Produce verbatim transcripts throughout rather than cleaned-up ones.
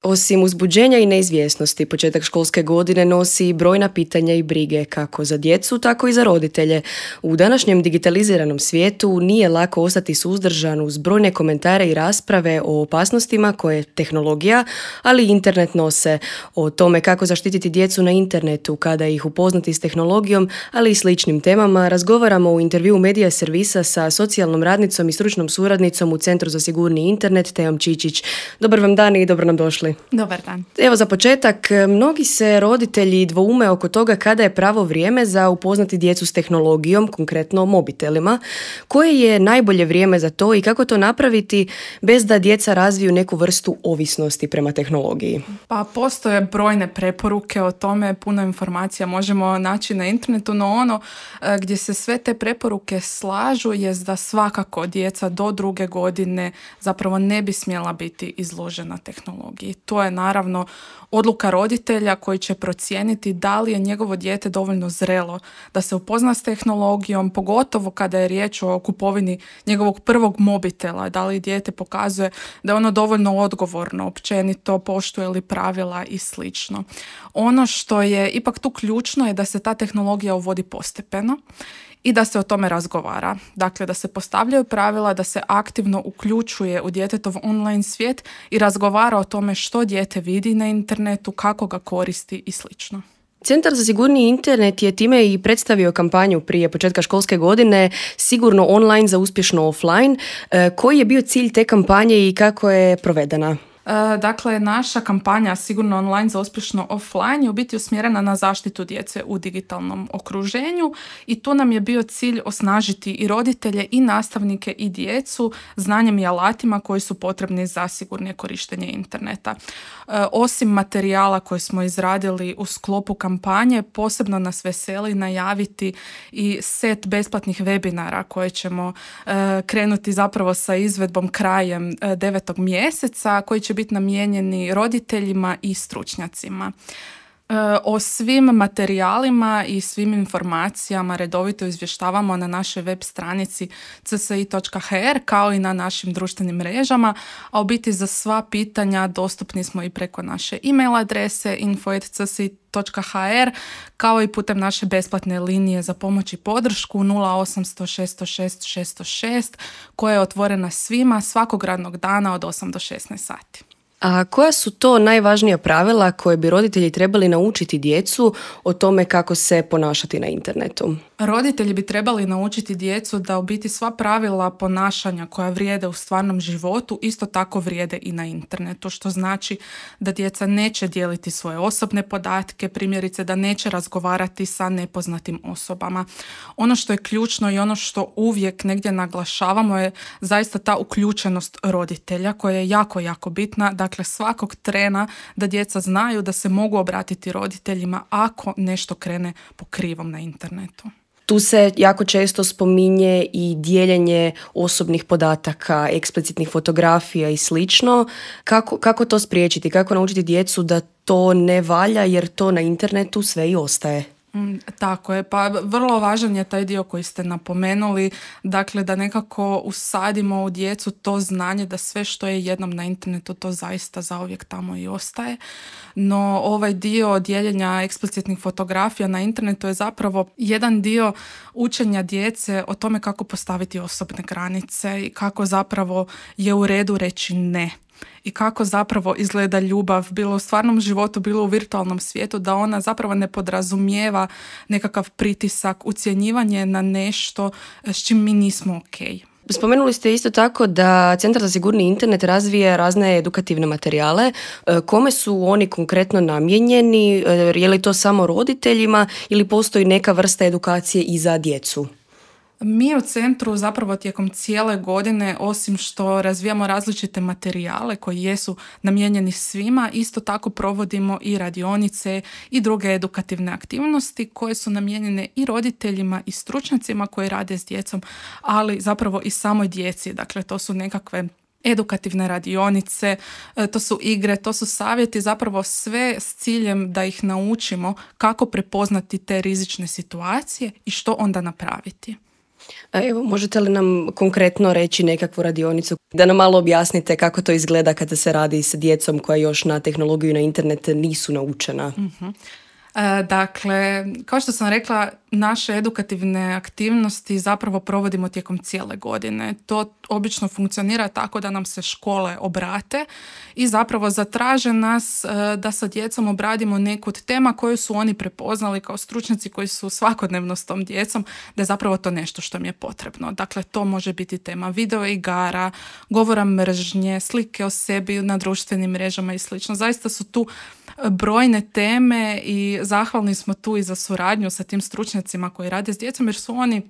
Osim uzbuđenja i neizvjesnosti, početak školske godine nosi brojna pitanja i brige kako za djecu, tako i za roditelje. U današnjem digitaliziranom svijetu nije lako ostati suzdržan uz brojne komentare i rasprave o opasnostima koje tehnologija, ali i internet nose. O tome kako zaštititi djecu na internetu, kada ih upoznati s tehnologijom, ali i sličnim temama, razgovaramo u intervjuu Medija servisa sa socijalnom radnicom i stručnom suradnicom u Centru za sigurniji internet, Teom Čičić. Dobar vam dan i dobro nam došli. Dobar dan. Evo za početak, mnogi se roditelji dvoume oko toga kada je pravo vrijeme za upoznati djecu s tehnologijom, konkretno mobitelima. Koje je najbolje vrijeme za to i kako to napraviti bez da djeca razviju neku vrstu ovisnosti prema tehnologiji? Pa postoje brojne preporuke o tome, puno informacija možemo naći na internetu, no ono gdje se sve te preporuke slažu je da svakako djeca do druge godine zapravo ne bi smjela biti izložena tehnologiji. To je naravno odluka roditelja koji će procijeniti da li je njegovo dijete dovoljno zrelo da se upozna s tehnologijom, pogotovo kada je riječ o kupovini njegovog prvog mobitela, da li dijete pokazuje da je ono dovoljno odgovorno, općenito, poštuje li pravila i slično. Ono što je ipak tu ključno je da se ta tehnologija uvodi postepeno i da se o tome razgovara. Dakle, da se postavljaju pravila, da se aktivno uključuje u djetetov online svijet i razgovara o tome što dijete vidi na internetu, kako ga koristi i slično. Centar za sigurniji internet je time i predstavio kampanju prije početka školske godine Sigurno online za uspješno offline. Koji je bio cilj te kampanje i kako je provedena? Dakle, naša kampanja Sigurno online za uspješno offline je u biti usmjerena na zaštitu djece u digitalnom okruženju i tu nam je bio cilj osnažiti i roditelje i nastavnike i djecu znanjem i alatima koji su potrebni za sigurnije korištenje interneta. Osim materijala koje smo izradili u sklopu kampanje, posebno nas veseli najaviti i set besplatnih webinara koje ćemo krenuti zapravo sa izvedbom krajem devetog mjeseca, koji će biti namijenjeni roditeljima i stručnjacima. O svim materijalima i svim informacijama redovito izvještavamo na našoj web stranici c s i točka h r kao i na našim društvenim mrežama, a u biti za sva pitanja dostupni smo i preko naše e-mail adrese info at c s i točka h r kao i putem naše besplatne linije za pomoć i podršku nula osam sto šest šest šest šest koja je otvorena svima svakog radnog dana od osam do šesnaest sati. A koja su to najvažnija pravila koje bi roditelji trebali naučiti djecu o tome kako se ponašati na internetu? Roditelji bi trebali naučiti djecu da u biti sva pravila ponašanja koja vrijede u stvarnom životu isto tako vrijede i na internetu, što znači da djeca neće dijeliti svoje osobne podatke, primjerice da neće razgovarati sa nepoznatim osobama. Ono što je ključno i ono što uvijek negdje naglašavamo je zaista ta uključenost roditelja koja je jako, jako bitna. Dakle, svakog trena da djeca znaju da se mogu obratiti roditeljima ako nešto krene po krivom na internetu. Tu se jako često spominje i dijeljenje osobnih podataka, eksplicitnih fotografija i slično. Kako, kako to spriječiti? Kako naučiti djecu da to ne valja jer to na internetu sve i ostaje? Mm, tako je, pa vrlo važan je taj dio koji ste napomenuli, dakle da nekako usadimo u djecu to znanje da sve što je jednom na internetu to zaista zauvijek tamo i ostaje. No ovaj dio dijeljenja eksplicitnih fotografija na internetu je zapravo jedan dio učenja djece o tome kako postaviti osobne granice i kako zapravo je u redu reći ne. I kako zapravo izgleda ljubav, bilo u stvarnom životu, bilo u virtualnom svijetu, da ona zapravo ne podrazumijeva nekakav pritisak, ucjenjivanje na nešto s čim mi nismo okej. Spomenuli ste isto tako da Centar za sigurni internet razvija razne edukativne materijale. Kome su oni konkretno namijenjeni? Je li to samo roditeljima ili postoji neka vrsta edukacije i za djecu? Mi u centru zapravo tijekom cijele godine, osim što razvijamo različite materijale koji jesu namijenjeni svima, isto tako provodimo i radionice i druge edukativne aktivnosti koje su namijenjene i roditeljima i stručnjacima koji rade s djecom, ali zapravo i samoj djeci. Dakle, to su nekakve edukativne radionice, to su igre, to su savjeti, zapravo sve s ciljem da ih naučimo kako prepoznati te rizične situacije i što onda napraviti. A evo, možete li nam konkretno reći nekakvu radionicu da nam malo objasnite kako to izgleda kada se radi sa djecom koja još na tehnologiju i na internet nisu naučena? Uh-huh. E, dakle, kao što sam rekla, naše edukativne aktivnosti zapravo provodimo tijekom cijele godine. To obično funkcionira tako da nam se škole obrate i zapravo zatraže nas e, da sa djecom obradimo neku od tema koju su oni prepoznali kao stručnjaci koji su svakodnevno s tom djecom, da je zapravo to nešto što mi je potrebno. Dakle, to može biti tema video igara, govora mržnje, slike o sebi na društvenim mrežama i slično. Zaista su tu brojne teme i zahvalni smo tu i za suradnju sa tim stručnjacima koji rade s djecom, jer su oni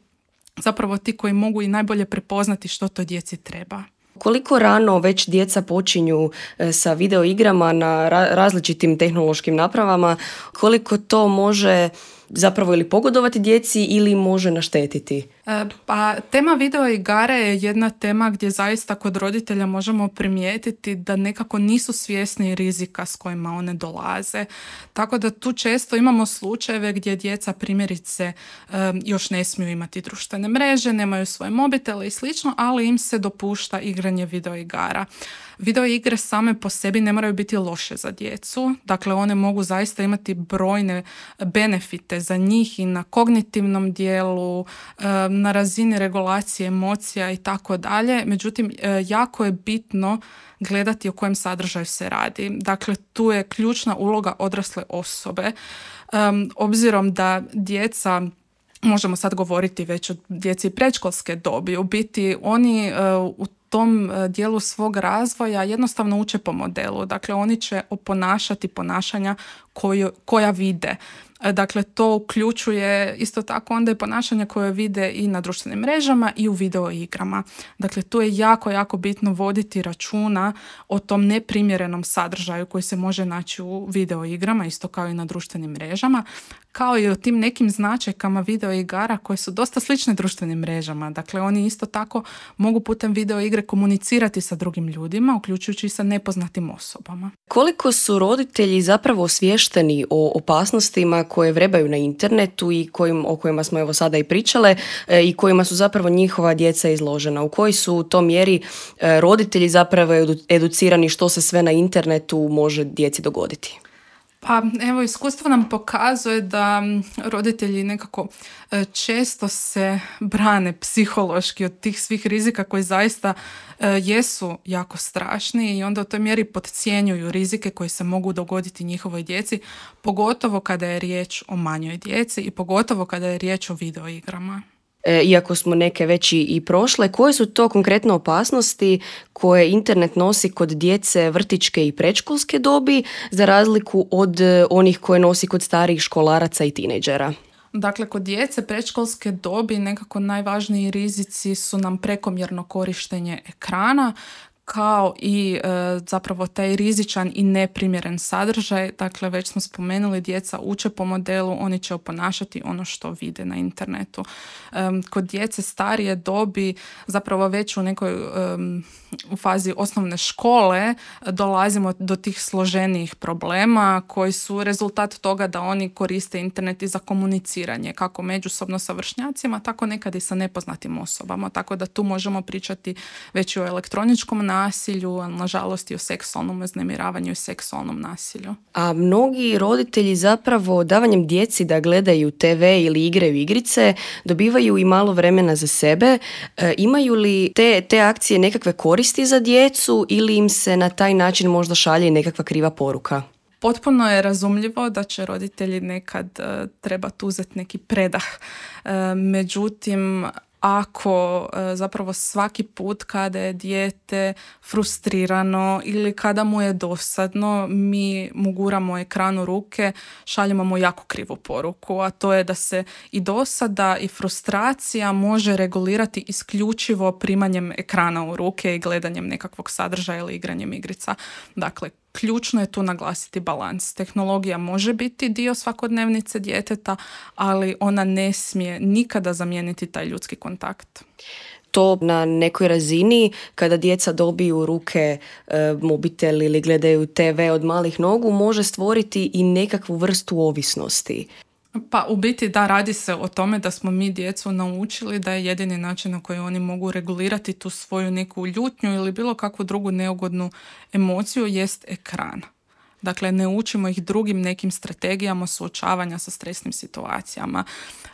zapravo ti koji mogu i najbolje prepoznati što to djeci treba. Koliko rano već djeca počinju sa video igrama na različitim tehnološkim napravama, koliko to može zapravo ili pogodovati djeci ili može naštetiti? E, pa tema video igara je jedna tema gdje zaista kod roditelja možemo primijetiti da nekako nisu svjesni rizika s kojima one dolaze. Tako da tu često imamo slučajeve gdje djeca primjerice e, još ne smiju imati društvene mreže, nemaju svoje mobitele i slično, ali im se dopušta igranje video igara. Video igre same po sebi ne moraju biti loše za djecu, dakle one mogu zaista imati brojne benefite za njih i na kognitivnom dijelu, na razini regulacije emocija i tako dalje. Međutim, jako je bitno gledati o kojem sadržaju se radi. Dakle, tu je ključna uloga odrasle osobe. Um, obzirom da djeca, možemo sad govoriti već o djeci predškolske dobi, u biti oni uh, u tom dijelu svog razvoja jednostavno uče po modelu. Dakle, oni će oponašati ponašanja koju, koja vide. Dakle, to uključuje isto tako onda i ponašanja koje vide i na društvenim mrežama i u video igrama. Dakle, tu je jako, jako bitno voditi računa o tom neprimjerenom sadržaju koji se može naći u video igrama, isto kao i na društvenim mrežama, kao i o tim nekim značajkama video igara koje su dosta slične društvenim mrežama. Dakle, oni isto tako mogu putem video igre komunicirati sa drugim ljudima, uključujući i sa nepoznatim osobama. Koliko su roditelji zapravo osviješteni o opasnostima koje vrebaju na internetu i kojim, o kojima smo evo sada i pričale e, i kojima su zapravo njihova djeca izložena? U kojoj su u tom mjeri e, roditelji zapravo edu, educirani što se sve na internetu može djeci dogoditi? Pa evo, iskustvo nam pokazuje da roditelji nekako često se brane psihološki od tih svih rizika koji zaista jesu jako strašni i onda u toj mjeri podcjenjuju rizike koji se mogu dogoditi njihovoj djeci, pogotovo kada je riječ o manjoj djeci i pogotovo kada je riječ o video igrama. E, iako smo neke već i prošle, koje su to konkretno opasnosti koje internet nosi kod djece vrtićke i predškolske dobi za razliku od onih koje nosi kod starijih školaraca i tinejdžera? Dakle, kod djece predškolske dobi nekako najvažniji rizici su nam prekomjerno korištenje ekrana, kao i e, zapravo taj rizičan i neprimjeren sadržaj. Dakle, već smo spomenuli, djeca uče po modelu, oni će oponašati ono što vide na internetu. E, kod djece starije dobi, zapravo već u nekoj e, u fazi osnovne škole dolazimo do tih složenijih problema koji su rezultat toga da oni koriste internet i za komuniciranje, kako međusobno sa vršnjacima, tako nekad i sa nepoznatim osobama. Tako da tu možemo pričati već i o elektroničkom nasilju, a nažalost i o seksualnom uznemiravanju i seksualnom nasilju. A mnogi roditelji zapravo davanjem djeci da gledaju te ve ili igraju igrice dobivaju i malo vremena za sebe. E, imaju li te, te akcije nekakve koristi za djecu ili im se na taj način možda šalje i nekakva kriva poruka? Potpuno je razumljivo da će roditelji nekad uh, trebati uzeti neki predah. Uh, međutim, ako e, zapravo svaki put kada je dijete frustrirano ili kada mu je dosadno, mi mu guramo ekran u ruke, šaljemo mu jako krivu poruku, a to je da se i dosada i frustracija može regulirati isključivo primanjem ekrana u ruke i gledanjem nekakvog sadržaja ili igranjem igrica. Dakle, ključno je tu naglasiti balans. Tehnologija može biti dio svakodnevnice djeteta, ali ona ne smije nikada zamijeniti taj ljudski kontakt. To na nekoj razini, kada djeca dobiju u ruke e, mobitel ili gledaju te ve od malih nogu, može stvoriti i nekakvu vrstu ovisnosti. Pa u biti da, radi se o tome da smo mi djecu naučili da je jedini način na koji oni mogu regulirati tu svoju neku ljutnju ili bilo kakvu drugu neugodnu emociju jest ekran. Dakle, ne učimo ih drugim nekim strategijama suočavanja sa stresnim situacijama.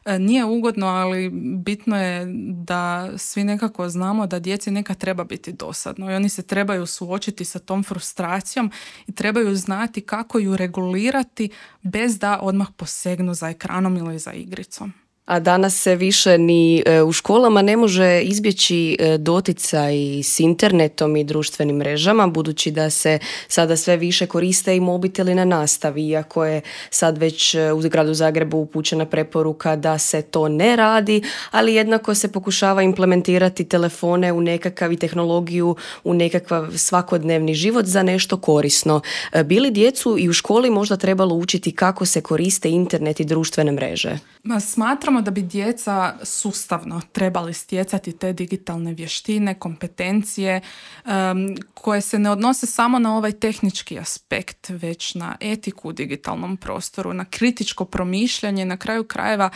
E, nije ugodno, ali bitno je da svi nekako znamo da djeci nekad treba biti dosadno i oni se trebaju suočiti sa tom frustracijom i trebaju znati kako ju regulirati bez da odmah posegnu za ekranom ili za igricom. A danas se više ni u školama ne može izbjeći doticaj s internetom i društvenim mrežama, budući da se sada sve više koriste i mobiteli na nastavi, iako je sad već u gradu Zagrebu upućena preporuka da se to ne radi, ali jednako se pokušava implementirati telefone u nekakav i tehnologiju u nekakav svakodnevni život za nešto korisno. Bi li djecu i u školi možda trebalo učiti kako se koriste internet i društvene mreže? Ma, smatram da bi djeca sustavno trebali stjecati te digitalne vještine, kompetencije um, koje se ne odnose samo na ovaj tehnički aspekt, već na etiku u digitalnom prostoru, na kritičko promišljanje, na kraju krajeva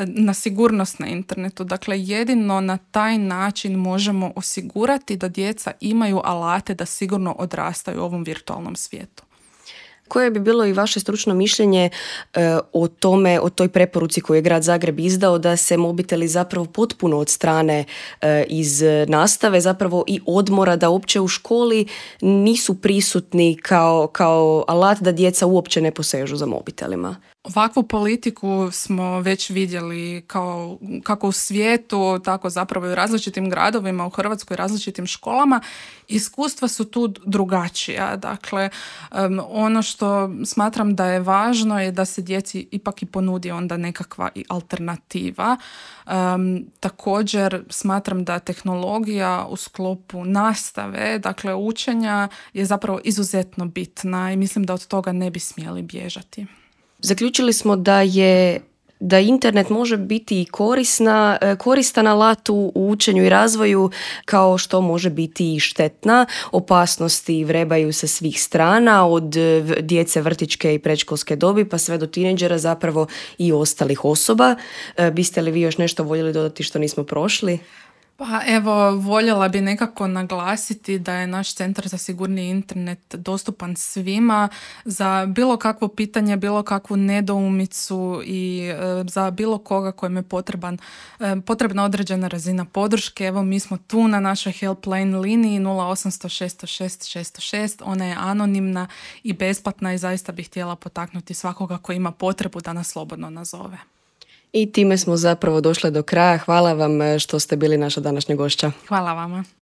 na sigurnost na internetu. Dakle, jedino na taj način možemo osigurati da djeca imaju alate da sigurno odrastaju u ovom virtualnom svijetu. Koje bi bilo i vaše stručno mišljenje e, o tome, o toj preporuci koju je grad Zagreb izdao da se mobiteli zapravo potpuno odstrane e, iz nastave, zapravo i odmora, da uopće u školi nisu prisutni kao, kao alat da djeca uopće ne posežu za mobitelima? Ovakvu politiku smo već vidjeli kao, kako u svijetu, tako zapravo i u različitim gradovima, u Hrvatskoj različitim školama. Iskustva su tu drugačija. Dakle, um, ono što smatram da je važno je da se djeci ipak i ponudi onda nekakva i alternativa. Um, također smatram da tehnologija u sklopu nastave, dakle učenja, je zapravo izuzetno bitna i mislim da od toga ne bi smjeli bježati. Zaključili smo da je da internet može biti i korisna, koristan alat u učenju i razvoju, kao što može biti i štetna. Opasnosti vrebaju sa svih strana, od djece vrtićke i predškolske dobi pa sve do tinejdžera, zapravo i ostalih osoba. Biste li vi još nešto voljeli dodati što nismo prošli? Pa evo, voljela bi nekako naglasiti da je naš Centar za sigurni internet dostupan svima za bilo kakvo pitanje, bilo kakvu nedoumicu i e, za bilo koga kojem je potreban, e, potrebna određena razina podrške. Evo, mi smo tu na našoj helpline liniji nula osam zero zero šest zero šest šest zero šest. Ona je anonimna i besplatna i zaista bih htjela potaknuti svakoga koji ima potrebu da nas slobodno nazove. I time smo zapravo došli do kraja. Hvala vam što ste bili naša današnja gošća. Hvala vama.